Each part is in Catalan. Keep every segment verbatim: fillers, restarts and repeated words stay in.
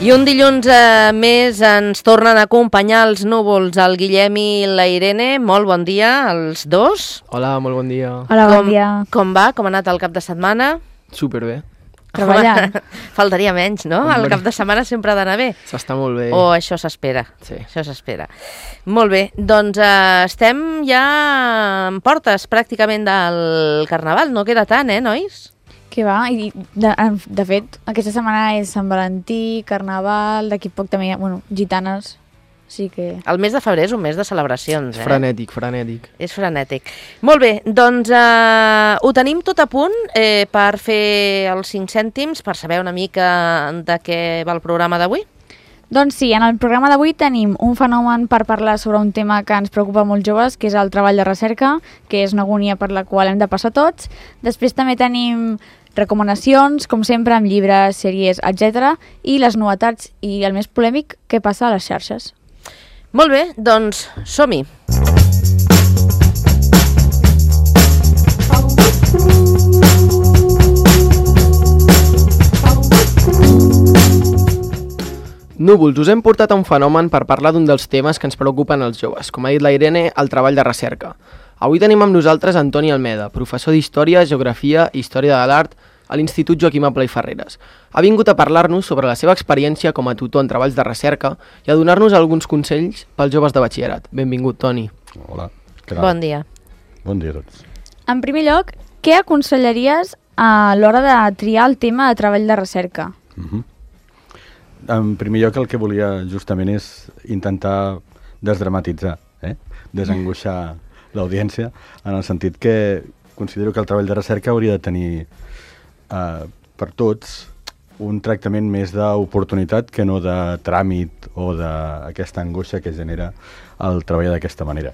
I un dilluns eh, més ens tornen a acompanyar els núvols, el Guillem i la Irene. Molt bon dia als dos. Hola, molt bon dia. Hola, bon com, dia. Com va? Com ha anat el cap de setmana? Superbé. Treballant. Faltaria menys, no? Hombre. El cap de setmana sempre ha d'anar bé. S'està molt bé. O això s'espera. Sí. Això s'espera. Molt bé, doncs eh, estem ja en portes pràcticament del Carnaval. No queda tant, eh, nois? Què va? I de, de fet, aquesta setmana és Sant Valentí, Carnaval, d'aquí poc també hi ha, bueno, gitanes, sí que... El mes de febrer és un mes de celebracions, eh? Frenètic, frenètic. És frenètic. Molt bé, doncs eh, ho tenim tot a punt eh, per fer els cinc cèntims, per saber una mica de què va el programa d'avui. Doncs sí, en el programa d'avui tenim un fenomen per parlar sobre un tema que ens preocupa molt joves, que és el treball de recerca, que és una agonia per la qual hem de passar tots. Després també tenim recomanacions, com sempre, amb llibres, sèries, etcètera, i les novetats i el més polèmic, què passa a les xarxes. Molt bé, doncs som-hi. Núvols, us hem portat a un fenomen per parlar d'un dels temes que ens preocupen els joves, com ha dit la Irene, el treball de recerca. Avui tenim amb nosaltres Antoni Almeda, professor d'Història, Geografia i Història de l'Art a l'Institut Joaquim Aplà i Ferreres. Ha vingut a parlar-nos sobre la seva experiència com a tutor en treballs de recerca i a donar-nos alguns consells pels joves de batxillerat. Benvingut, Toni. Hola. Què tal? Bon dia. Bon dia a tots. En primer lloc, què aconsellaries a l'hora de triar el tema de treball de recerca? Uh-huh. En primer lloc, el que volia justament és intentar desdramatitzar, eh? desangoixar l'audiència, en el sentit que considero que el treball de recerca hauria de tenir eh, per tots un tractament més d'oportunitat que no de tràmit o d'aquesta angoixa que genera el treball d'aquesta manera.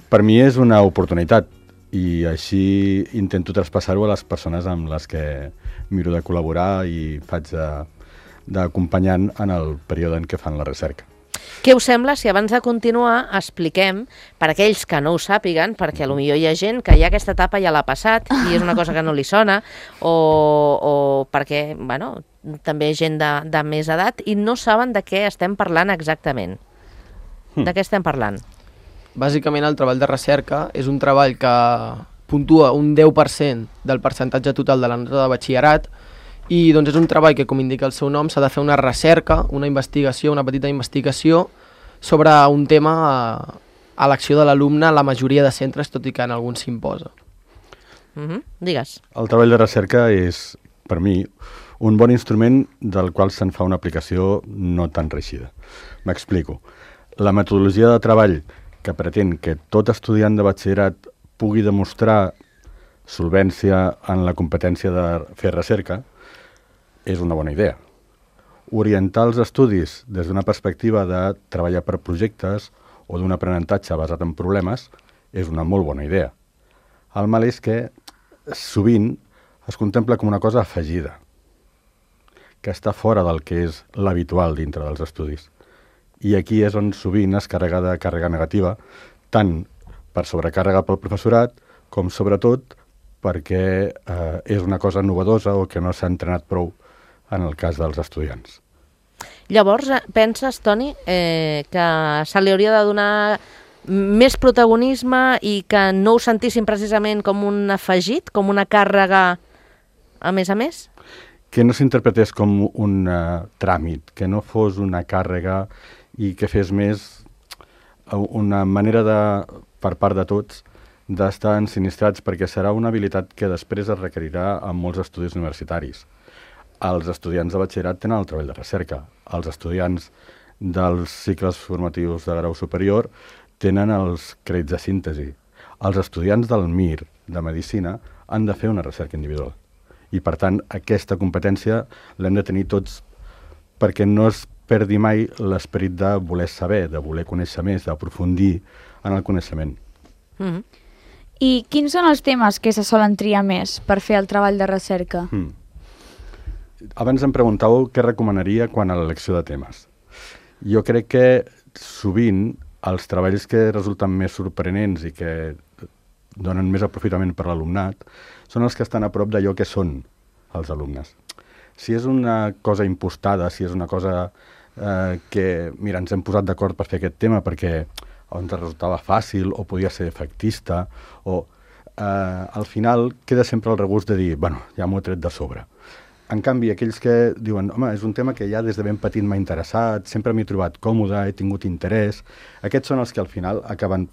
Per mi és una oportunitat i així intento traspassar-ho a les persones amb les que miro de col·laborar i faig de, d'acompanyant en el període en què fan la recerca. Què us sembla si abans de continuar expliquem, per aquells que no ho sàpiguen, perquè potser hi ha gent que ja aquesta etapa ja l'ha passat i és una cosa que no li sona, o, o perquè, bueno, també gent de, de més edat i no saben de què estem parlant exactament. De què estem parlant? Bàsicament el treball de recerca és un treball que puntua un deu per cent del percentatge total de la nota de batxillerat i doncs és un treball que, com indica el seu nom, s'ha de fer una recerca, una investigació, una petita investigació sobre un tema a, a l'acció de l'alumne a la majoria de centres, tot i que en alguns s'imposa. Uh-huh. Digues. El treball de recerca és, per mi, un bon instrument del qual se'n fa una aplicació no tan reeixida. M'explico. La metodologia de treball que pretén que tot estudiant de batxillerat pugui demostrar solvència en la competència de fer recerca és una bona idea. Orientar els estudis des d'una perspectiva de treballar per projectes o d'un aprenentatge basat en problemes és una molt bona idea. El mal és que sovint es contempla com una cosa afegida, que està fora del que és l'habitual dintre dels estudis. I aquí és on sovint es carrega de càrrega negativa, tant per sobrecàrrega pel professorat, com sobretot perquè eh, és una cosa novedosa o que no s'ha entrenat prou en el cas dels estudiants. Llavors, penses, Toni, eh, que se li hauria de donar més protagonisme i que no ho sentissin precisament com un afegit, com una càrrega a més a més? Que no s'interpretés com un uh, tràmit, que no fos una càrrega i que fes més una manera de, per part de tots d'estar ensinistrats, perquè serà una habilitat que després es requerirà en molts estudis universitaris. Els estudiants de batxillerat tenen el treball de recerca. Els estudiants dels cicles formatius de grau superior tenen els crèdits de síntesi. Els estudiants del M I R, de Medicina, han de fer una recerca individual. I, per tant, aquesta competència l'hem de tenir tots perquè no es perdi mai l'esperit de voler saber, de voler conèixer més, d'aprofundir en el coneixement. Mm-hmm. I quins són els temes que se solen triar més per fer el treball de recerca? Mm. Abans em preguntàveu què recomanaria quan a l'elecció de temes. Jo crec que sovint els treballs que resulten més sorprenents i que donen més aprofitament per l'alumnat són els que estan a prop d'allò que són els alumnes. Si és una cosa impostada, si és una cosa eh, que, mira, ens hem posat d'acord per fer aquest tema perquè ens resultava fàcil o podia ser efectista, o eh, al final queda sempre el regust de dir, bueno, ja m'ho he tret de sobre. En canvi, aquells que diuen, home, és un tema que ja des de ben petit m'ha interessat, sempre m'he trobat còmode, he tingut interès, aquests són els que al final acaben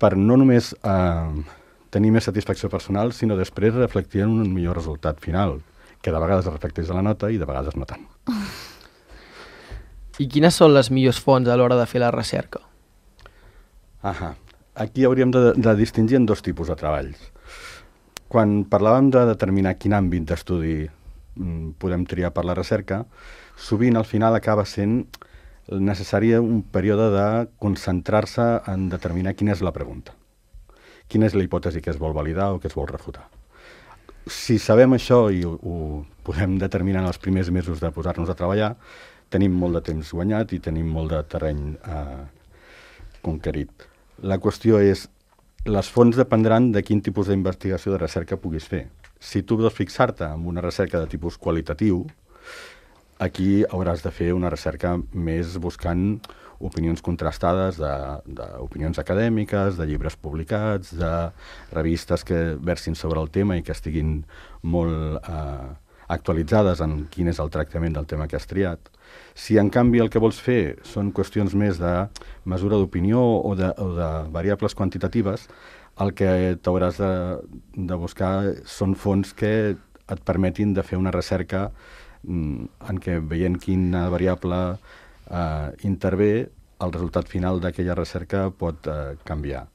per no només eh, tenir més satisfacció personal, sinó després reflectir en un millor resultat final, que de vegades reflecteix a la nota i de vegades no tant. I quines són les millors fonts a l'hora de fer la recerca? Ahà. Aquí hauríem de, de distingir en dos tipus de treballs. Quan parlàvem de determinar quin àmbit d'estudi mm, podem triar per la recerca, sovint al final acaba sent necessari un període de concentrar-se en determinar quina és la pregunta. Quina és la hipòtesi que es vol validar o que es vol refutar. Si sabem això i ho, ho podem determinar en els primers mesos de posar-nos a treballar, tenim molt de temps guanyat i tenim molt de terreny eh, conquerit. La qüestió és, les fonts dependran de quin tipus d'investigació de recerca puguis fer. Si tu vols fixar-te en una recerca de tipus qualitatiu, aquí hauràs de fer una recerca més buscant opinions contrastades d'opinions acadèmiques, de llibres publicats, de revistes que versin sobre el tema i que estiguin molt eh, actualitzades en quin és el tractament del tema que has triat. Si, en canvi, el que vols fer són qüestions més de mesura d'opinió o, de, o de variables quantitatives, el que t'hauràs de, de buscar són fonts que et permetin de fer una recerca mm, en què, veient quina variable eh, intervé, el resultat final d'aquella recerca pot eh, canviar.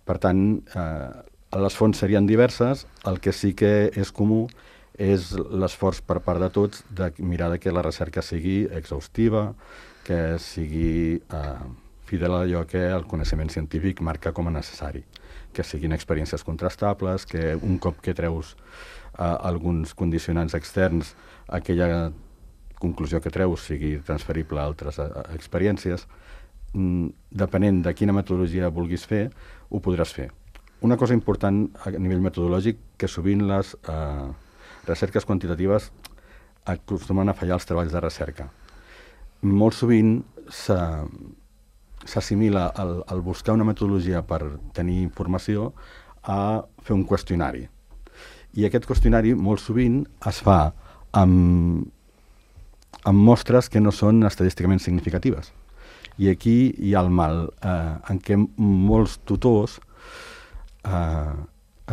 Per tant, eh, les fonts serien diverses, el que sí que és comú és l'esforç per part de tots de mirar que la recerca sigui exhaustiva, que sigui eh, fidel a allò que el coneixement científic marca com a necessari, que siguin experiències contrastables, que un cop que treus eh, alguns condicionants externs, aquella conclusió que treus sigui transferible a altres a, a experiències. Mm, depenent de quina metodologia vulguis fer, ho podràs fer. Una cosa important a nivell metodològic, que sovint les eh, recerques quantitatives acostumen a fallar els treballs de recerca. Molt sovint s'assimila el, el buscar una metodologia per tenir informació a fer un qüestionari. I aquest qüestionari molt sovint es fa amb, amb mostres que no són estadísticament significatives. I aquí hi ha el mal, eh, en què molts tutors eh,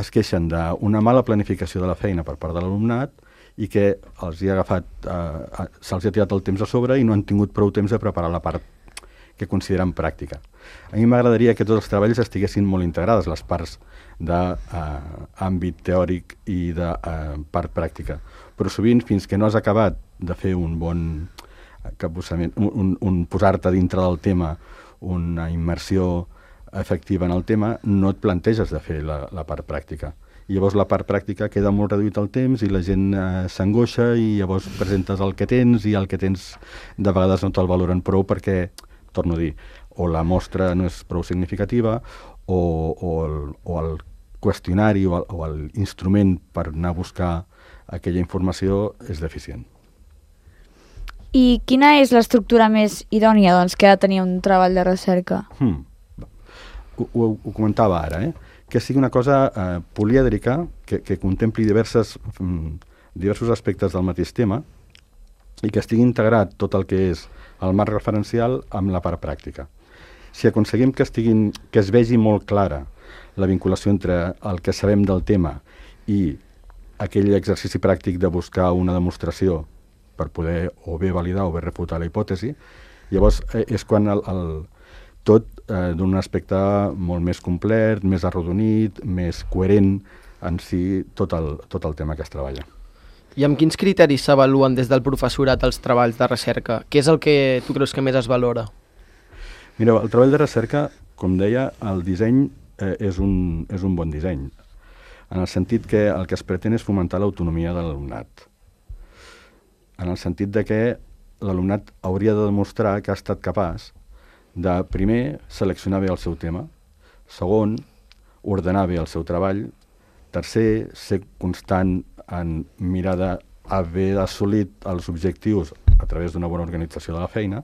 es queixen d'una mala planificació de la feina per part de l'alumnat i que els hi ha agafat, eh, se'ls ha tirat el temps a sobre i no han tingut prou temps de preparar la part que consideren pràctica. A mi m'agradaria que tots els treballs estiguessin molt integrades, les parts d'àmbit eh, teòric i de eh, part pràctica. Però sovint, fins que no has acabat de fer un bon capbussament, un, un, un posar-te dintre del tema, una immersió efectiva en el tema, no et planteges de fer la, la part pràctica. I llavors la part pràctica queda molt reduït el temps i la gent eh, s'angoixa i llavors presentes el que tens i el que tens de vegades no te'l valoren prou perquè, torno a dir, o la mostra no és prou significativa o, o, el, o el qüestionari o, el, o l'instrument per anar a buscar aquella informació és deficient. I quina és l'estructura més idònia doncs, que ha de tenir un treball de recerca? Hmm. Ho, ho, ho comentava ara, eh? Que sigui una cosa eh, polièdrica, que, que contempli diverses, mm, diversos aspectes del mateix tema i que estigui integrat tot el que és el marc referencial amb la part pràctica. Si aconseguim que, estiguin, que es vegi molt clara la vinculació entre el que sabem del tema i aquell exercici pràctic de buscar una demostració per poder o bé validar o bé refutar la hipòtesi, llavors eh, és quan el, el, tot eh, d'un aspecte molt més complet, més arrodonit, més coherent en si tot el, tot el tema que es treballa. I amb quins criteris s'avaluen des del professorat els treballs de recerca? Què és el que tu creus que més es valora? Mireu, el treball de recerca, com deia, el disseny eh, és, un, és un bon disseny, en el sentit que el que es pretén és fomentar l'autonomia de l'alumnat, en el sentit de que l'alumnat hauria de demostrar que ha estat capaç de, primer, seleccionar bé el seu tema, segon, ordenar bé el seu treball, tercer, ser constant en mirar haver assolit els objectius a través d'una bona organització de la feina.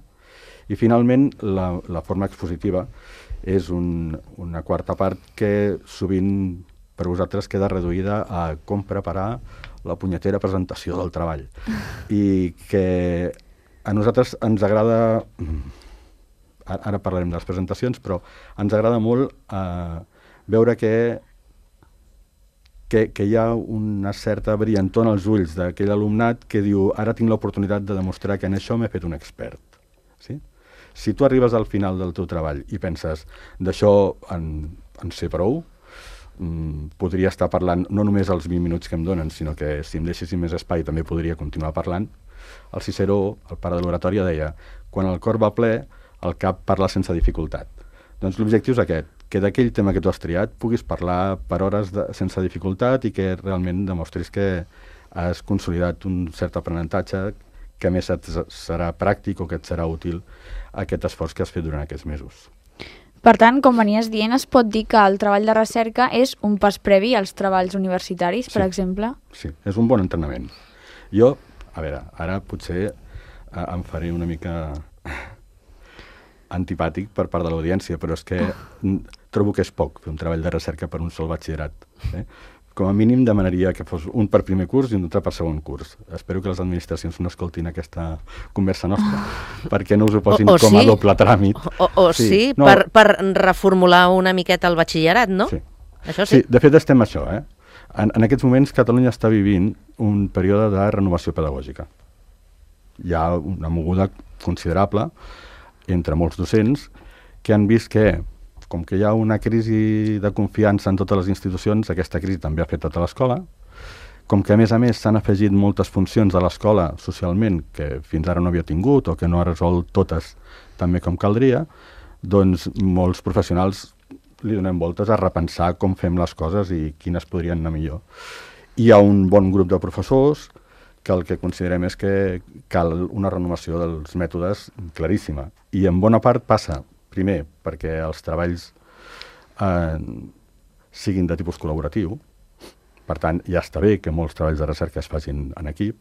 I finalment, la, la forma expositiva és un, una quarta part que sovint per vosaltres queda reduïda a com preparar la punyetera presentació del treball. I que a nosaltres ens agrada, ara parlarem de les presentacions, però ens agrada molt eh, veure que, que, que hi ha una certa brillantor en els ulls d'aquell alumnat que diu ara tinc l'oportunitat de demostrar que en això m'he fet un expert. Sí? Si tu arribes al final del teu treball i penses d'això en, en sé prou, mm, podria estar parlant no només els vint minuts que em donen, sinó que si em deixessin més espai també podria continuar parlant. El Ciceró, el pare de l'oratòria, deia quan el cor va ple, el cap parla sense dificultat. Doncs l'objectiu és aquest, que d'aquell tema que tu has triat puguis parlar per hores de, sense dificultat i que realment demostris que has consolidat un cert aprenentatge que a més et serà pràctic o que et serà útil aquest esforç que has fet durant aquests mesos. Per tant, com venies dient, es pot dir que el treball de recerca és un pas previ als treballs universitaris, per sí, exemple? Sí, és un bon entrenament. Jo, a veure, ara potser eh, em faré una mica antipàtic per part de l'audiència, però és que trobo que és poc fer un treball de recerca per un sol batxillerat. Eh? Com a mínim demanaria que fos un per primer curs i un altre per segon curs. Espero que les administracions no escoltin aquesta conversa nostra, perquè no us ho posin o, o com sí, a doble tràmit. O, o sí, sí no. per, per reformular una miqueta el batxillerat, no? Sí. Això sí. Sí, de fet estem això, eh? En, en aquests moments Catalunya està vivint un període de renovació pedagògica. Hi ha una moguda considerable entre molts docents que han vist que com que hi ha una crisi de confiança en totes les institucions, aquesta crisi també ha afectat a l'escola, com que a més a més s'han afegit moltes funcions a l'escola socialment que fins ara no havia tingut o que no ha resolt totes també com caldria, doncs molts professionals li donem voltes a repensar com fem les coses i quines podrien anar millor. Hi ha un bon grup de professors que el que considerem és que cal una renovació dels mètodes claríssima. I en bona part passa primer, perquè els treballs eh, siguin de tipus col·laboratiu. Per tant, ja està bé que molts treballs de recerca es facin en equip,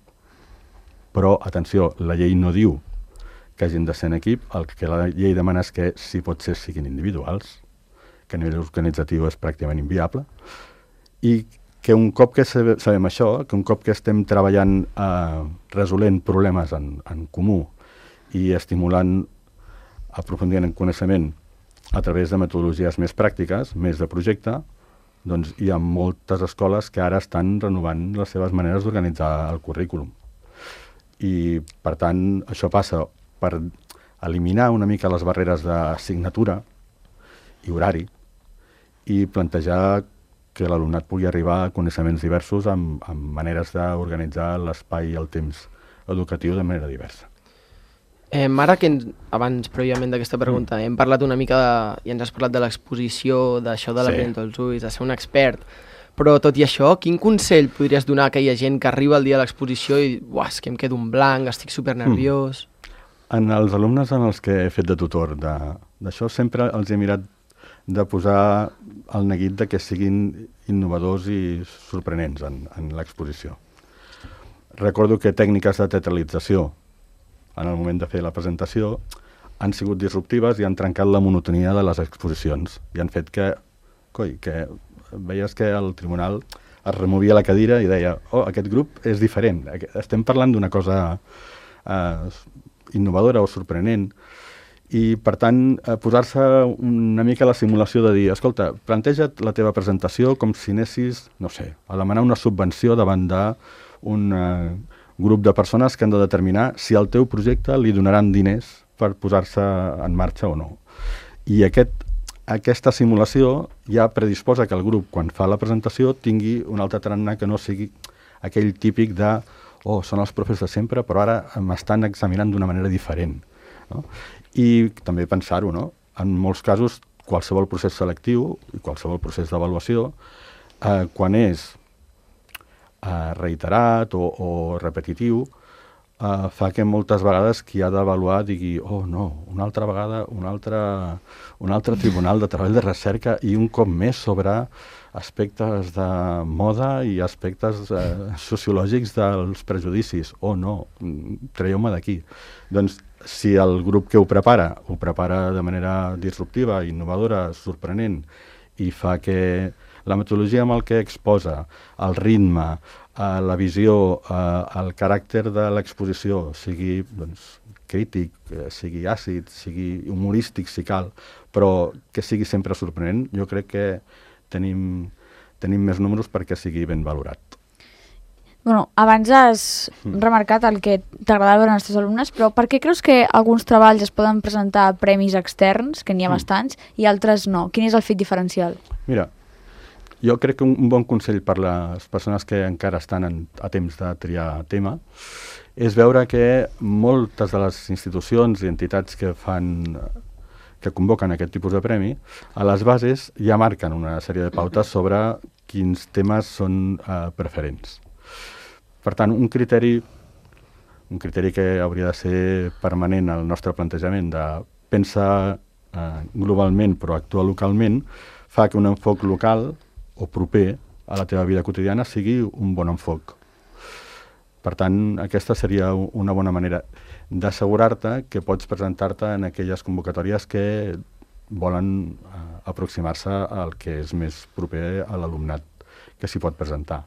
però, atenció, la llei no diu que hagin de ser en equip, el que la llei demana és que, si pot ser, siguin individuals, que a nivell organitzatiu és pràcticament inviable, i que un cop que sabem això, que un cop que estem treballant eh, resolent problemes en, en comú i estimulant aprofundint en coneixement a través de metodologies més pràctiques, més de projecte, doncs hi ha moltes escoles que ara estan renovant les seves maneres d'organitzar el currículum. I, per tant, això passa per eliminar una mica les barreres d'assignatura i horari i plantejar que l'alumnat pugui arribar a coneixements diversos amb, amb maneres d'organitzar l'espai i el temps educatiu de manera diversa. Eh, ara que ens, abans, prèviament d'aquesta pregunta, mm. hem parlat una mica de, i ens has parlat de l'exposició, d'això de l'aprenent als ulls, de ser un expert, però tot i això, quin consell podries donar a aquella gent que arriba el dia de l'exposició i uah, és que em quedo un blanc, estic supernerviós... Mm. En els alumnes en els que he fet de tutor d'això, sempre els he mirat de posar el neguit de que siguin innovadors i sorprenents en, en l'exposició. Recordo que tècniques de teatralització en el moment de fer la presentació, han sigut disruptives i han trencat la monotonia de les exposicions. I han fet que, coi, que veies que el tribunal es removia la cadira i deia, oh, aquest grup és diferent, estem parlant d'una cosa eh, innovadora o sorprenent. I, per tant, eh, posar-se una mica a la simulació de dir, escolta, planteja't la teva presentació com si anessis, no sé, a demanar una subvenció davant d'un eh, grup de persones que han de determinar si al teu projecte li donaran diners per posar-se en marxa o no. I aquest, aquesta simulació ja predisposa que el grup, quan fa la presentació, tingui un altre tarannà que no sigui aquell típic de oh, són els profes de sempre, però ara m'estan examinant d'una manera diferent. No? I també pensar-ho, no? En molts casos, qualsevol procés selectiu i qualsevol procés d'avaluació, eh, quan és Uh, reiterat o, o repetitiu, uh, fa que moltes vegades qui ha d'avaluar digui oh no, una altra vegada un altre, un altre tribunal de treball de recerca i un cop més sobre aspectes de moda i aspectes eh, sociològics dels prejudicis. Oh, no, traieu-me d'aquí. Doncs, si el grup que ho prepara, ho prepara de manera disruptiva, innovadora, sorprenent, i fa que la metodologia amb el que exposa, el ritme, eh, la visió, eh, el caràcter de l'exposició sigui doncs, crític, eh, sigui àcid, sigui humorístic, si cal, però que sigui sempre sorprenent, jo crec que tenim, tenim més números perquè sigui ben valorat. Bueno, abans has mm. remarcat el que t'agradava veure als teus alumnes, però per què creus que alguns treballs es poden presentar a premis externs, que n'hi ha mm. bastants, i altres no? Quin és el fet diferencial? Mira, jo crec que un, un bon consell per les persones que encara estan en, a temps de triar tema és veure que moltes de les institucions i entitats que fan que convoquen aquest tipus de premi, a les bases ja marquen una sèrie de pautes sobre quins temes són eh, preferents. Per tant, un criteri, un criteri que hauria de ser permanent al nostre plantejament de pensar eh, globalment però actuar localment, fa que un enfoc local o proper a la teva vida quotidiana sigui un bon enfoc. Per tant, aquesta seria una bona manera d'assegurar-te que pots presentar-te en aquelles convocatòries que volen eh, aproximar-se al que és més proper a l'alumnat que s'hi pot presentar.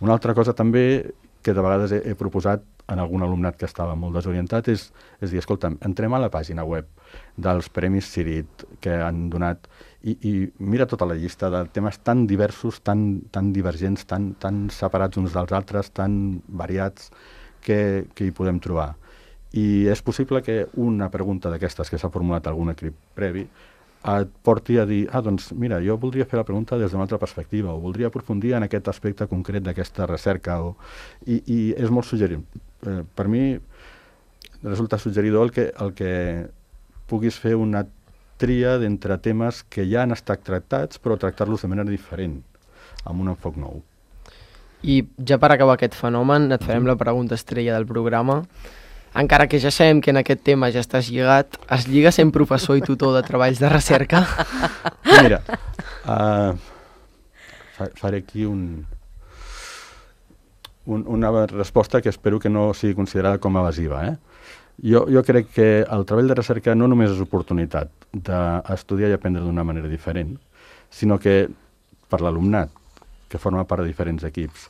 Una altra cosa també que de vegades he, he proposat en algun alumnat que estava molt desorientat és, és dir, escolta'm, entrem a la pàgina web dels Premis Cirit que han donat i, i mira tota la llista de temes tan diversos, tan, tan divergents, tan, tan separats uns dels altres, tan variats que, que hi podem trobar. I és possible que una pregunta d'aquestes que s'ha formulat algun equip previ et porti a dir, ah, doncs mira, jo voldria fer la pregunta des d'una altra perspectiva o voldria aprofundir en aquest aspecte concret d'aquesta recerca. O... I, I és molt suggerent. Eh, per mi resulta suggeridor el que, el que puguis fer una tria d'entre temes que ja han estat tractats però tractar-los de manera diferent, amb un enfoc nou. I ja per acabar aquest fenomen et farem la pregunta estrella del programa. Encara que ja sabem que en aquest tema ja estàs lligat, es lliga sent professor i tutor de treballs de recerca? Mira, uh, faré aquí un, un, una resposta que espero que no sigui considerada com a evasiva. Eh? Jo, jo crec que el treball de recerca no només és oportunitat d'estudiar i aprendre d'una manera diferent, sinó que per l'alumnat, que forma part de diferents equips,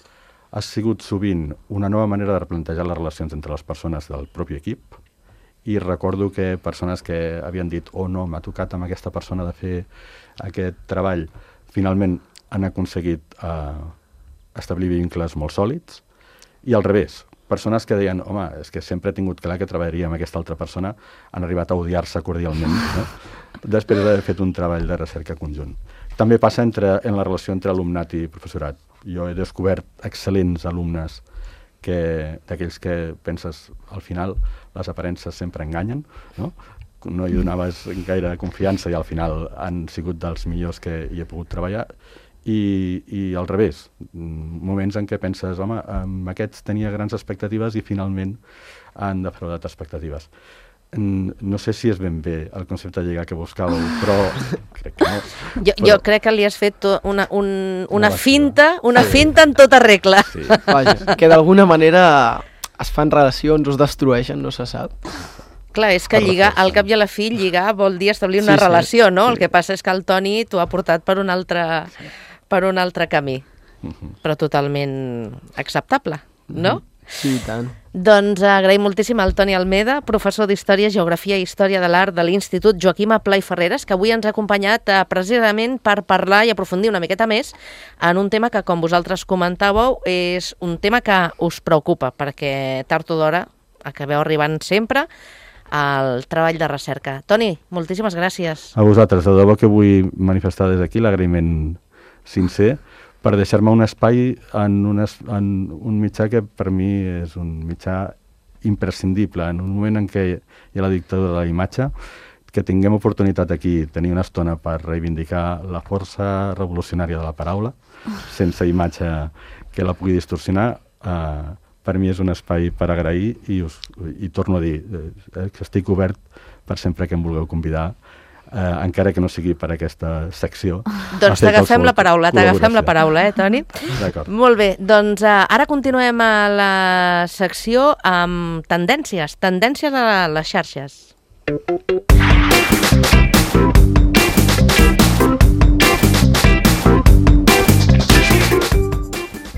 ha sigut sovint una nova manera de replantejar les relacions entre les persones del propi equip i recordo que persones que havien dit oh no, m'ha tocat amb aquesta persona de fer aquest treball, finalment han aconseguit eh, establir vincles molt sòlids i al revés, persones que deien home, és que sempre he tingut clar que treballaria amb aquesta altra persona, han arribat a odiar-se cordialment no? després d'haver fet un treball de recerca conjunt. També passa entre, en la relació entre alumnat i professorat. Jo he descobert excel·lents alumnes que d'aquells que penses al final les aparences sempre enganyen, no? No hi donaves gaire confiança i al final han sigut dels millors que hi he pogut treballar i, i al revés, moments en què penses home, amb aquests tenia grans expectatives i finalment han defraudat expectatives. No sé si és ben bé el concepte de lligar que buscàveu, però crec que no. Jo, però... jo crec que li has fet una, un, una, una finta, una sí. finta en tota regla. Sí. Vaja, que d'alguna manera es fan relacions, us destrueixen, no se sap. Clar, és que lligar, al cap i a la fi, lligar vol dir establir una sí, relació, sí, no? Sí. El que passa és que el Toni t'ho ha portat per un altre, per un altre camí, uh-huh. però totalment acceptable, no? Uh-huh. Sí, i tant. Doncs agraïm moltíssim al Toni Almeda, professor d'Història, Geografia i Història de l'Art de l'Institut Joaquim Pla i Ferreres, que avui ens ha acompanyat eh, precisament per parlar i aprofundir una miqueta més en un tema que, com vosaltres comentàveu, és un tema que us preocupa, perquè tard o d'hora acabeu arribant sempre al treball de recerca. Toni, moltíssimes gràcies. A vosaltres, de debò que vull manifestar des d'aquí l'agraïment sincer per deixar-me un espai en, una, en un mitjà que per mi és un mitjà imprescindible. En un moment en què hi ha la dictadura de la imatge, que tinguem oportunitat aquí, tenir una estona per reivindicar la força revolucionària de la paraula, sense imatge que la pugui distorsionar, eh, per mi és un espai per agrair i, us, i torno a dir eh, que estic obert per sempre que em vulgueu convidar eh, encara que no sigui per aquesta secció. Doncs t'agafem la paraula, t'agafem la paraula, eh, Toni? D'acord. Molt bé, doncs uh, ara continuem a la secció amb tendències, tendències a les xarxes.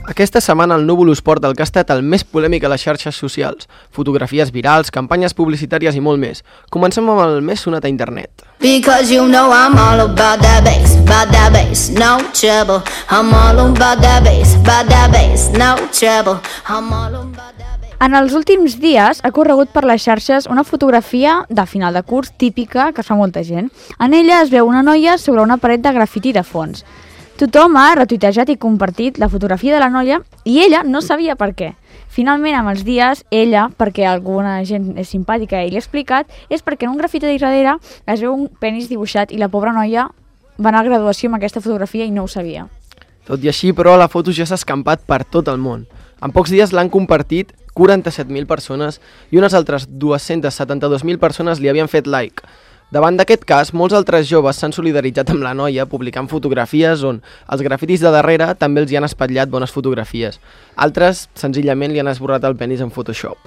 Aquesta setmana el Núvol us porta el que ha estat el més polèmic a les xarxes socials. Fotografies virals, campanyes publicitàries i molt més. Comencem amb el més sonat a internet. Because you know I'm all about that bass, about that bass, no trouble. I'm all about that bass, about that bass, no trouble. I'm all about that bass. En els últims dies ha corregut per les xarxes una fotografia de final de curs típica que es fa molta gent. En ella es veu una noia sobre una paret de grafiti de fons. Tothom ha retuitejat i compartit la fotografia de la noia i ella no sabia per què. Finalment, amb els dies, ella, perquè alguna gent és simpàtica i li ha explicat, és perquè en un grafiti de darrere es veu un penis dibuixat i la pobra noia va anar a graduació amb aquesta fotografia i no ho sabia. Tot i així, però, la foto ja s'ha escampat per tot el món. En pocs dies l'han compartit quaranta-set mil persones i unes altres dues-centes setanta-dos mil persones li havien fet like. Davant d'aquest cas, molts altres joves s'han solidaritzat amb la noia publicant fotografies on els grafitis de darrere també els hi han espatllat bones fotografies. Altres, senzillament, li han esborrat el penis en Photoshop.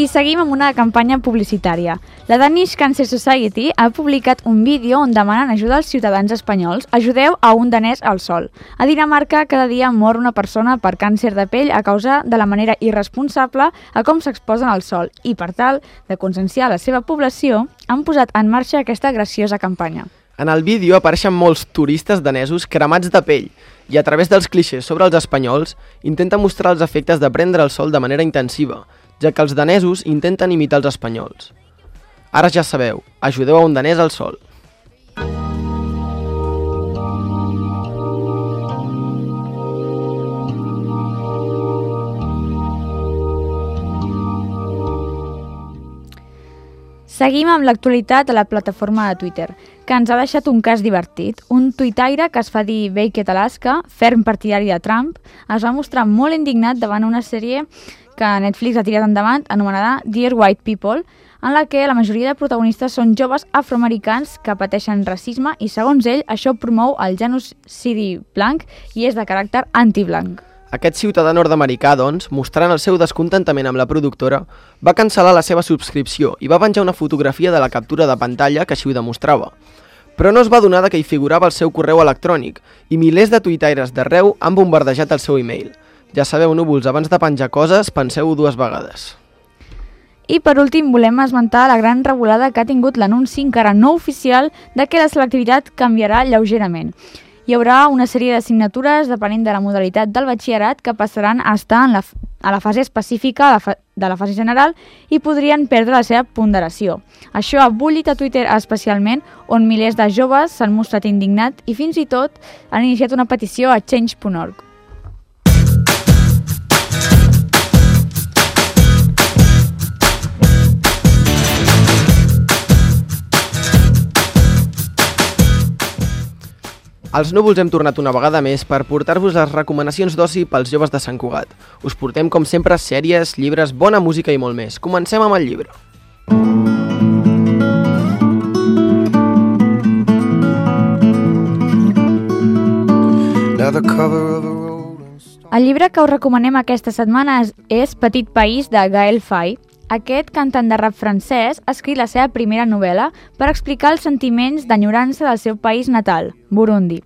I seguim amb una campanya publicitària. La Danish Cancer Society ha publicat un vídeo on demanen ajuda als ciutadans espanyols. Ajudeu a un danès al sol. A Dinamarca, cada dia mor una persona per càncer de pell a causa de la manera irresponsable a com s'exposen al sol. I per tal de conscienciar la seva població, han posat en marxa aquesta graciosa campanya. En el vídeo apareixen molts turistes danesos cremats de pell i a través dels clixés sobre els espanyols intenta mostrar els efectes de prendre el sol de manera intensiva, ja que els danesos intenten imitar els espanyols. Ara ja sabeu, ajudeu a un danès al sol. Seguim amb l'actualitat a la plataforma de Twitter, que ens ha deixat un cas divertit. Un tuitaire que es fa dir Beckett Alaska, ferm partidari de Trump, es va mostrar molt indignat davant una sèrie que Netflix ha tirat endavant, anomenada Dear White People, en la que la majoria de protagonistes són joves afroamericans que pateixen racisme i, segons ell, això promou el genocidi blanc i és de caràcter antiblanc. Aquest ciutadà nord-americà, doncs, mostrant el seu descontentament amb la productora, va cancel·lar la seva subscripció i va penjar una fotografia de la captura de pantalla que així ho demostrava. Però no es va adonar que hi figurava el seu correu electrònic i milers de tuitaires d'arreu han bombardejat el seu e-mail. Ja sabeu, núvols, abans de penjar coses, penseu dues vegades. I per últim volem esmentar la gran revolada que ha tingut l'anunci encara no oficial de que la selectivitat canviarà lleugerament. Hi haurà una sèrie d'assignatures depenent de la modalitat del batxillerat que passaran a estar en la, a la fase específica de la, fa, de la fase general i podrien perdre la seva ponderació. Això ha bullit a Twitter especialment, on milers de joves s'han mostrat indignats i fins i tot han iniciat una petició a change punt org. Els núvols hem tornat una vegada més per portar-vos les recomanacions d'oci pels joves de Sant Cugat. Us portem, com sempre, sèries, llibres, bona música i molt més. Comencem amb el llibre. El llibre que us recomanem aquesta setmana és, és Petit País, de Gaël Faye. Aquest cantant de rap francès ha escrit la seva primera novel·la per explicar els sentiments d'enyorança del seu país natal, Burundi.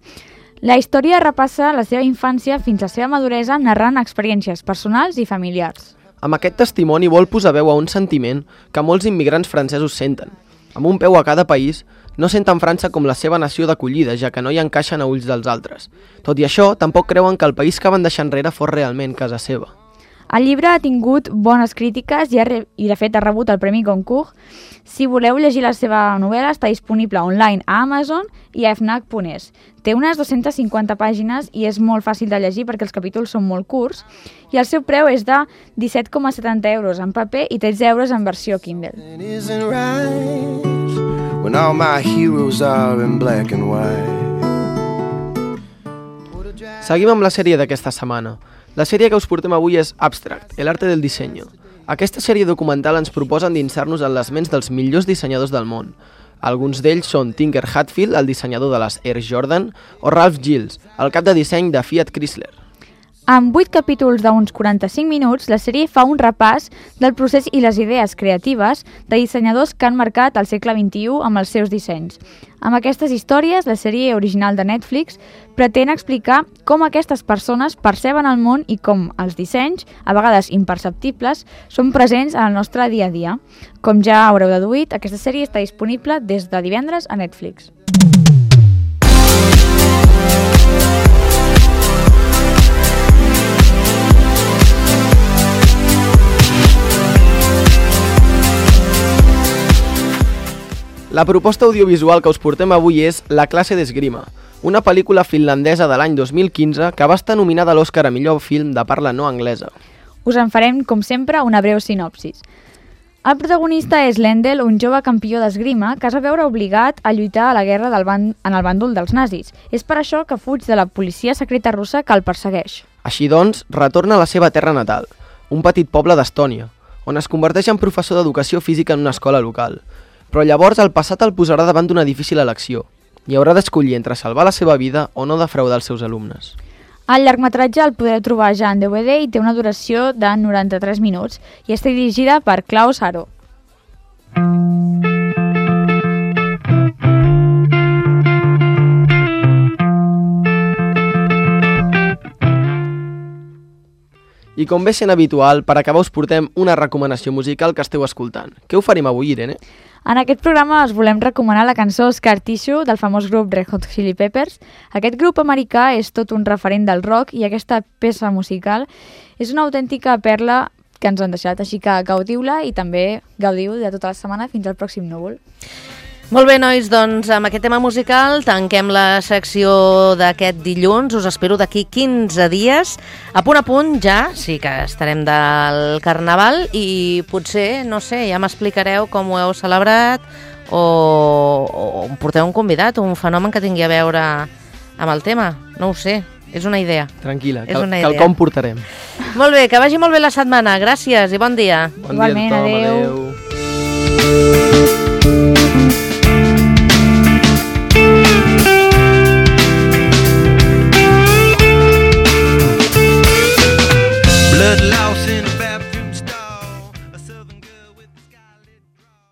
La història repassa la seva infància fins a la seva maduresa narrant experiències personals i familiars. Amb aquest testimoni vol posar veu a un sentiment que molts immigrants francesos senten. Amb un peu a cada país, no senten França com la seva nació d'acollida, ja que no hi encaixen a ulls dels altres. Tot i això, tampoc creuen que el país que van deixar enrere fos realment casa seva. El llibre ha tingut bones crítiques i, ha re... i de fet ha rebut el Premi Goncourt. Si voleu llegir la seva novel·la, està disponible online a Amazon i a fnac punt es. Té unes dues-centes cinquanta pàgines i és molt fàcil de llegir perquè els capítols són molt curts i el seu preu és de disset coma setanta euros en paper i tretze euros en versió Kindle. Seguim amb la sèrie d'aquesta setmana. La sèrie que us portem avui és Abstract, el arte del diseño. Aquesta sèrie documental ens proposa endinsar-nos en les ments dels millors dissenyadors del món. Alguns d'ells són Tinker Hatfield, el dissenyador de les Air Jordan, o Ralph Gilles, el cap de disseny de Fiat Chrysler. Amb vuit capítols d'uns quaranta-cinc minuts, la sèrie fa un repàs del procés i les idees creatives de dissenyadors que han marcat el segle vint-i-u amb els seus dissenys. Amb aquestes històries, la sèrie original de Netflix pretén explicar com aquestes persones perceben el món i com els dissenys, a vegades imperceptibles, són presents en el nostre dia a dia. Com ja haureu deduït, aquesta sèrie està disponible des de divendres a Netflix. La proposta audiovisual que us portem avui és La classe d'esgrima, una pel·lícula finlandesa de l'any dos mil quinze que va estar nominada a l'Oscar a millor film de parla no anglesa. Us en farem, com sempre, una breu sinopsis. El protagonista és Lendl, un jove campió d'esgrima que es va veure obligat a lluitar a la guerra del ban... en el bàndol dels nazis. És per això que fuig de la policia secreta russa que el persegueix. Així doncs, retorna a la seva terra natal, un petit poble d'Estònia, on es converteix en professor d'educació física en una escola local. Però llavors el passat el posarà davant d'una difícil elecció i haurà d'escollir entre salvar la seva vida o no defraudar els seus alumnes. El llargmetratge el podeu trobar ja en D V D i té una duració de noranta-tres minuts i està dirigida per Klaus Haro. I com bé sent habitual, per acabar us portem una recomanació musical que esteu escoltant. Què oferim avui, Irene? En aquest programa us volem recomanar la cançó Scar Tissue del famós grup Red Hot Chili Peppers. Aquest grup americà és tot un referent del rock i aquesta peça musical és una autèntica perla que ens han deixat, així que gaudiu-la i també gaudiu de tota la setmana fins al pròxim núvol. Molt bé, nois, doncs amb aquest tema musical tanquem la secció d'aquest dilluns. Us espero d'aquí quinze dies. A punt a punt ja, sí que estarem del Carnaval i potser, no sé, ja m'explicareu com ho heu celebrat o, o em porteu un convidat, un fenomen que tingui a veure amb el tema. No ho sé, és una idea. Tranquil·la, És que, una que el idea. com portarem. Molt bé, que vagi molt bé la setmana. Gràcies i bon dia. Bon Igualment, dia a tothom, adéu. adéu.